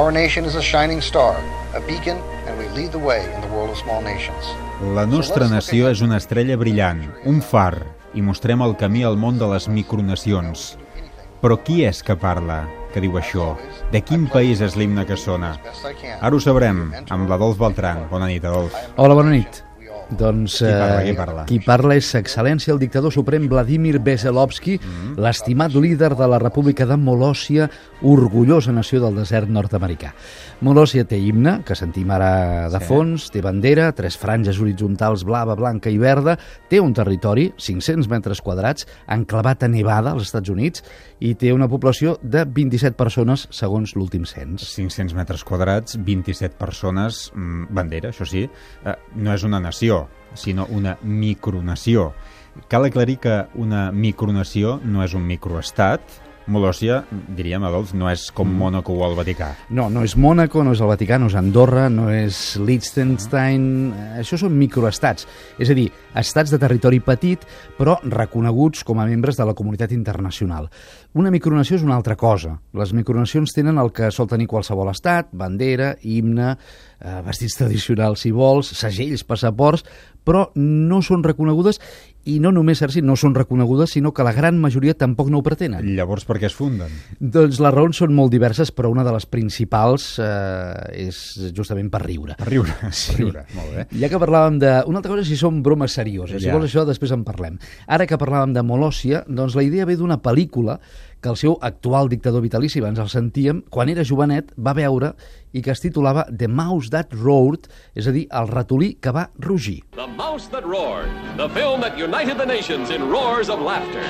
Our nation is a shining star, a beacon, and we lead the way in the world of small nations. La nostra nació és una estrella brillant, un far, i mostrem el camí al món de les micronacions. Però qui és que parla, que diu això? De quin país és l'himne que sona? Ara ho sabrem, amb l'Adolf Beltran. Bona nit, Adolf. Hola, bona nit. Doncs qui parla? Qui parla és Excel·lència el dictador suprem Vladimir Veselovsky, l'estimat líder de la República de Molòsia, orgullosa nació del desert nord-americà. Molòsia té himne, que sentim ara de fons, té bandera, 3 franges horitzontals blava, blanca i verda, té un territori, 500 metres quadrats, enclavat a Nevada, als Estats Units, i té una població de 27 persones, segons l'últim cens. 500 metres quadrats, 27 persones, bandera, això sí, no és una nació, sinó una micronació. Cal aclarir que una micronació no és un microestat. Molòsia, diríem, Adolf, no és com Mònaco o el Vaticà. No és Mònaco, no és el Vaticà, no és Andorra, no és Liechtenstein. Això són microestats, és a dir, estats de territori petit, però reconeguts com a membres de la comunitat internacional. Una micronació és una altra cosa. Les micronacions tenen el que sol tenir qualsevol estat, bandera, himne, vestits tradicionals, si vols, segells, passaports, però no són reconegudes, i no només, Sergi, no són reconegudes, sinó que la gran majoria tampoc no ho pretenen. Llavors, per què es funden? Doncs les raons són molt diverses, però una de les principals és justament per riure. Per riure, sí. Per riure, molt bé. Ja que parlàvem de... Una altra cosa si són bromes serioses, si vols això després en parlem. Ara que parlàvem de Molòsia, doncs la idea ve d'una pel·lícula que el seu actual dictador vitalici, abans el sentíem, quan era jovenet va veure i que es titulava The Mouse That Roared, és a dir, el ratolí que va rugir. The Mouse That Roared, the film that united the nations in roars of laughter.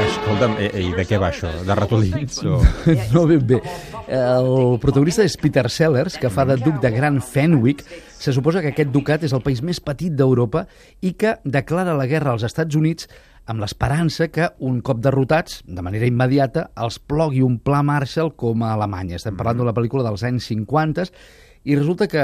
Escolta'm, i de què va això? De ratolins? O... No ben bé. El protagonista és Peter Sellers, que fa de duc de Gran Fenwick. Se suposa que aquest ducat és el país més petit d'Europa i que declara la guerra als Estats Units amb l'esperança que, un cop derrotats, de manera immediata, els plogui un pla Marshall com a Alemanya. Estem parlant d'una pel·lícula dels anys 50 i resulta que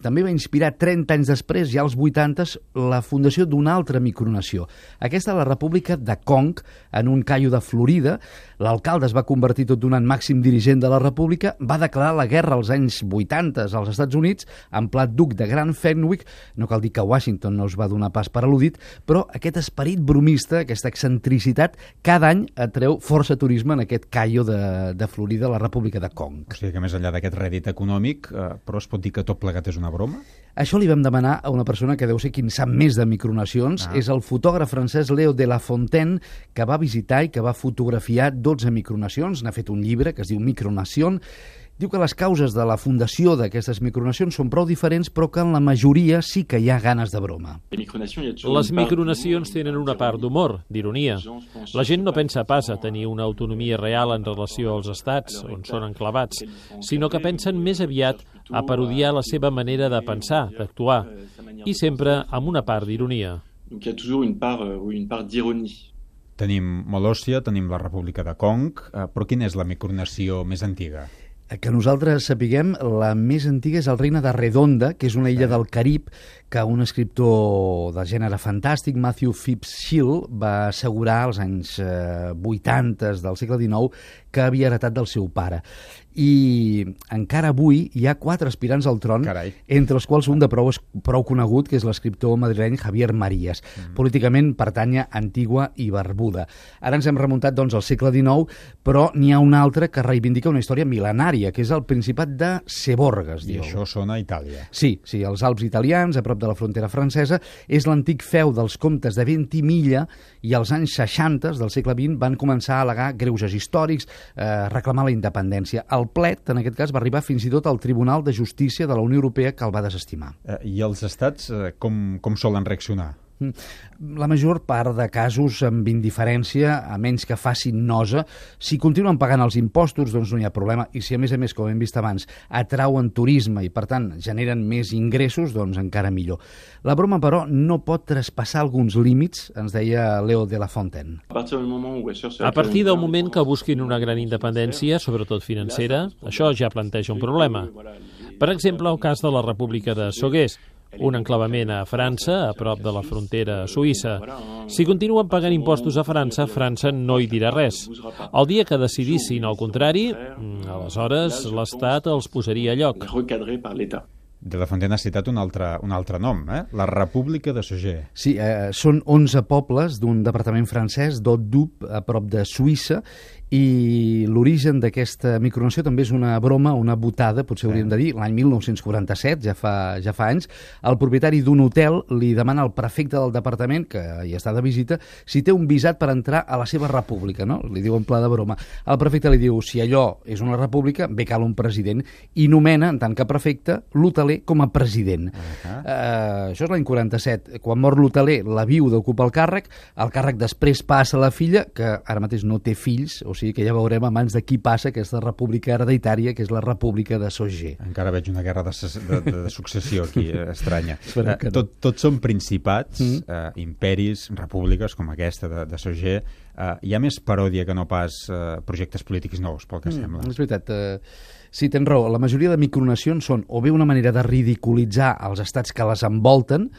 també va inspirar 30 anys després, ja als 80s, la fundació d'una altra micronació. Aquesta és la República de Kong, en un caio de Florida. L'alcalde es va convertir tot donant màxim dirigent de la República, va declarar la guerra als anys 80 als Estats Units, en pla duc de Gran Fenwick. No cal dir que Washington no es va donar pas per al·ludit, però aquest esperit bromista, aquesta excentricitat, cada any atreu força turisme en aquest caio de Florida, la República de Kong. O sigui que més enllà d'aquest rèdit econòmic, però es pot dir que tot plegat és una broma? Això li vam demanar a una persona que deu ser qui en sap més de micronacions. És el fotògraf francès Léo de La Fontaine, que va visitar i que va fotografiar 12 micronacions. N'ha fet un llibre que es diu Micronation. Diu que les causes de la fundació d'aquestes micronacions són prou diferents, però que en la majoria sí que hi ha ganes de broma. Les micronacions tenen una part d'humor, d'ironia. La gent no pensa pas a tenir una autonomia real en relació als estats, on són enclavats, sinó que pensen més aviat a parodiar la seva manera de pensar, d'actuar, i sempre amb una part d'ironia. Tenim Molòsia, tenim la República de Kong, però quina és la micronació més antiga? Que nosaltres sapiguem, la més antiga és el Regne de Redonda, que és una illa del Carib que un escriptor de gènere fantàstic, Matthew Phipps Hill, va assegurar als anys 80 del segle XIX que havia heretat del seu pare. I encara avui hi ha 4 aspirants al tron, entre els quals un de prou conegut, que és l'escriptor madrileny Javier Marías. Políticament pertany a Antigua i Barbuda. Ara ens hem remuntat doncs, al segle XIX, però n'hi ha un altre que reivindica una història mil·lenària, que és el Principat de Seborga. I això sona a Itàlia. Sí, els Alps italians, a prop de la frontera francesa. És l'antic feu dels comtes de Ventimiglia i als anys 60 del segle XX van començar a al·legar greuges històrics, reclamar la independència. El plet, en aquest cas, va arribar fins i tot al Tribunal de Justícia de la Unió Europea, que el va desestimar. I els estats com solen reaccionar? La major part de casos amb indiferència, a menys que facin nosa. Si continuen pagant els impostos, doncs no hi ha problema. I si, a més, com hem vist abans, atrauen turisme i, per tant, generen més ingressos, doncs encara millor. La broma, però, no pot traspassar alguns límits, ens deia Léo de La Fontaine. A partir del moment que busquin una gran independència, sobretot financera, això ja planteja un problema. Per exemple, el cas de la República de Soguers, un enclavament a França, a prop de la frontera suïssa. Si continuen pagant impostos a França, França no hi dirà res. El dia que decidissin el contrari, aleshores l'Estat els posaria a lloc. De la Fontaine ha citat un altre nom, la República de Sogé. Sí, són 11 pobles d'un departament francès, d'Haut-Doubs, a prop de Suïssa, i l'origen d'aquesta micronació també és una broma, una botada, potser hauríem de dir, l'any 1947, ja fa anys, el propietari d'un hotel li demana al prefecte del departament, que hi està de visita, si té un visat per entrar a la seva república, no? Li diu en pla de broma. El prefecte li diu, si allò és una república, bé cal un president, i nomena, en tant que prefecte, l'hoteler com a president. Això és l'any 47. Quan mor l'hoteler, la viuda ocupa el càrrec després passa a la filla, que ara mateix no té fills, o sigui que ja veurem a mans de qui passa aquesta república hereditària, que és la República de Sogé. Encara veig una guerra de successió aquí, estranya. Tots són principats, imperis, repúbliques com aquesta de Sogé. Hi ha més paròdia que no pas projectes polítics nous, pel que sembla. És veritat. Sí, tens raó. La majoria de micronacions són o bé una manera de ridiculitzar els estats que les envolten,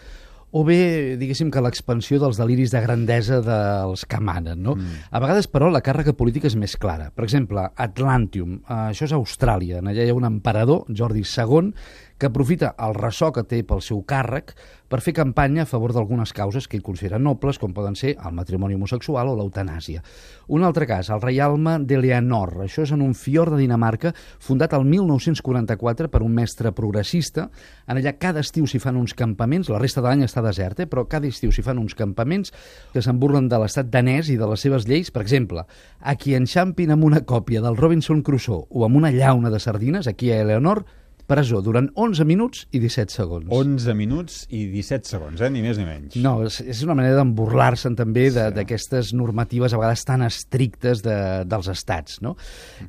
o bé, diguéssim, que l'expansió dels deliris de grandesa dels que manen, no? A vegades, però, la càrrega política és més clara. Per exemple, Atlantium, això és Austràlia. Allà hi ha un emperador, Jordi II, que aprofita el ressò que té pel seu càrrec per fer campanya a favor d'algunes causes que ell considera nobles, com poden ser el matrimoni homosexual o l'eutanàsia. Un altre cas, el reialme d'Eleanor. Això és en un fiord de Dinamarca, fundat el 1944 per un mestre progressista. En allà cada estiu s'hi fan uns campaments, la resta de l'any està desert, però cada estiu s'hi fan uns campaments que se'n burlen de l'estat danès i de les seves lleis. Per exemple, a qui enxampin amb una còpia del Robinson Crusoe o amb una llauna de sardines, aquí a Eleanor, presó durant 11 minuts i 17 segons. 11 minuts i 17 segons, ni més ni menys. No, és una manera d'emburlar-se'n també d'aquestes normatives a vegades tan estrictes dels estats, no?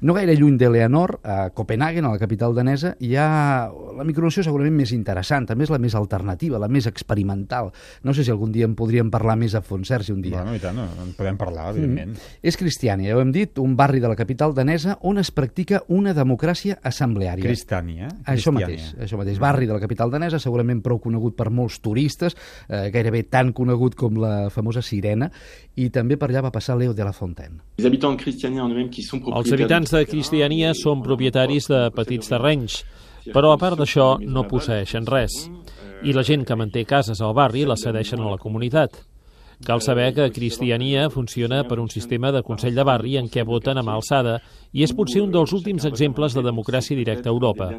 No gaire lluny d'Eleanor, a Copenhagen, a la capital danesa, hi ha la micronació segurament més interessant, també és la més alternativa, la més experimental. No sé si algun dia en podríem parlar més a fons, Sergi, un dia. Bueno, i tant, en podem parlar, evidentment. És Cristiània, ja ho hem dit, un barri de la capital danesa on es practica una democràcia assembleària. Cristiània. Això mateix. Barri de la capital danesa, segurament prou conegut per molts turistes, gairebé tan conegut com la famosa Sirena, i també per allà va passar Leo de la Fontaine. Els habitants de Cristiània són propietaris de petits terrenys, però a part d'això no posseeixen res. I la gent que manté cases al barri les cedeixen a la comunitat. Cal saber que Cristiània funciona per un sistema de Consell de Barri en què voten a mà alçada i és potser un dels últims exemples de democràcia directa a Europa.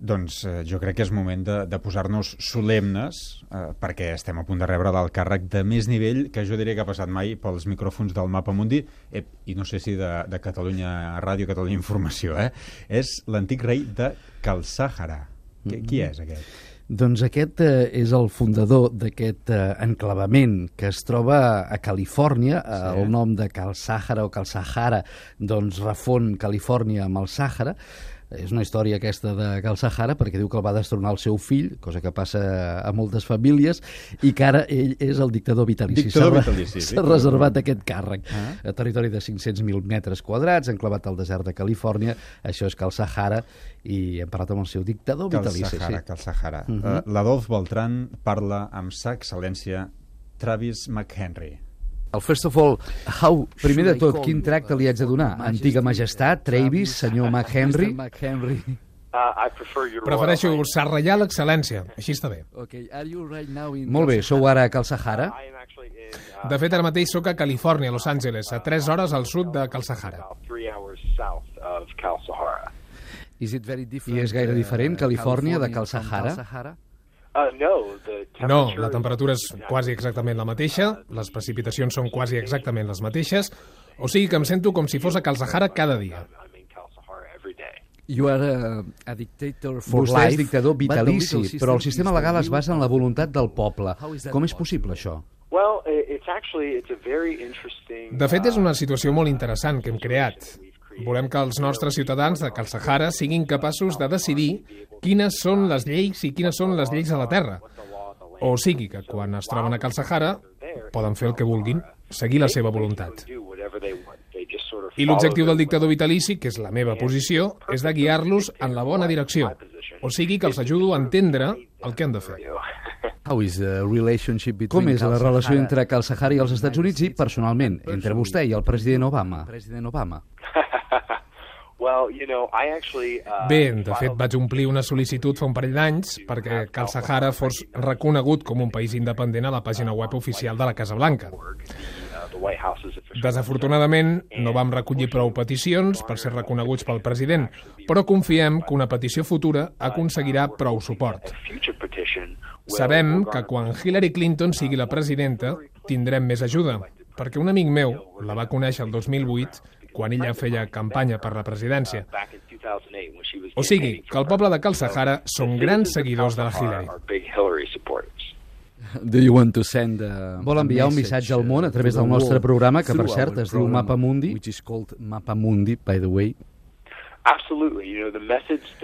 Doncs jo crec que és moment de posar-nos solemnes perquè estem a punt de rebre l'alt càrrec de més nivell que jo diria que ha passat mai pels micròfons del Mapa Mundi i no sé si de Catalunya Ràdio, Catalunya Informació. És l'antic rei de Cal Sàhara. Qui és aquest? Doncs aquest és el fundador d'aquest enclavament que es troba a Califòrnia. El nom de Cal Sàhara o Cal Sahara doncs refon Califòrnia amb el Sàhara. És una història aquesta de Cal Sahara perquè diu que el va destronar el seu fill, cosa que passa a moltes famílies, i que ara ell és el dictador vitalici. S'ha reservat aquest càrrec. A territori de 500.000 metres quadrats, enclavat al desert de Califòrnia. Això és Cal Sahara i hem parlat amb el seu dictador vitalici. Cal Sahara. L'Adolf Beltran parla amb sa excel·lència Travis McHenry. Primer de tot, quin tracte li haig de donar? Antiga majestat, Travis, senyor McHenry? Prefereixo Sa Reial Excel·lència, així està bé. Molt bé, sou ara a Cal Sahara? De fet, ara mateix sóc a Califòrnia, a Los Angeles, a 3 hores al sud de Cal Sahara. I és gaire diferent Califòrnia de Cal Sahara? No, la temperatura és quasi exactament la mateixa, les precipitacions són quasi exactament les mateixes, o sigui que em sento com si fos a Cal Sahara cada dia. Vostè és dictador vitalici, però el sistema legal es basa en la voluntat del poble. Com és possible, això? De fet, és una situació molt interessant que hem creat. Volem que els nostres ciutadans de Cal Sahara siguin capaços de decidir quines són les lleis i quines són les lleis a la Terra. O sigui que quan es troben a Cal Sahara poden fer el que vulguin, seguir la seva voluntat. I l'objectiu del dictador vitalici, que és la meva posició, és de guiar-los en la bona direcció. o sigui que els ajudo a entendre el que han de fer. Com és la relació entre Cal Sahara i els Estats Units i, personalment, entre vostè i el president Obama? Bé, de fet, vaig omplir una sol·licitud fa un parell d'anys perquè Cal Sahara fos reconegut com un país independent a la pàgina web oficial de la Casa Blanca. Desafortunadament, no vam recollir prou peticions per ser reconeguts pel president, però confiem que una petició futura aconseguirà prou suport. Sabem que quan Hillary Clinton sigui la presidenta tindrem més ajuda, perquè un amic meu la va conèixer el 2008 quan ella feia campanya per la presidència. O sigui, que el poble de Cal Sahara són grans seguidors de la Hillary. Vol enviar un missatge al món a través del nostre programa, que per cert es diu Mapa Mundi?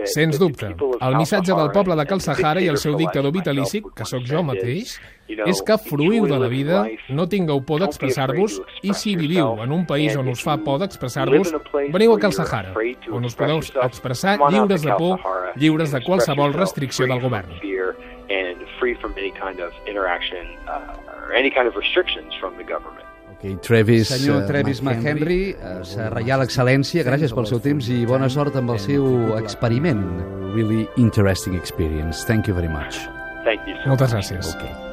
Sens dubte, el missatge del poble de Cal Sahara i el seu dictador vitalici, que sóc jo mateix, és que fruïu de la vida, no tingueu por d'expressar-vos, i si viviu en un país on us fa por d'expressar-vos, veniu a Cal Sahara, on us podeu expressar lliures de por, lliures de qualsevol restricció del govern. Senyor Travis McHenry, Sa Reial Excel·lència, gràcies pel seu temps i bona sort amb el seu experiment. Really interesting experience. Thank you very much. Moltes gràcies. Okay.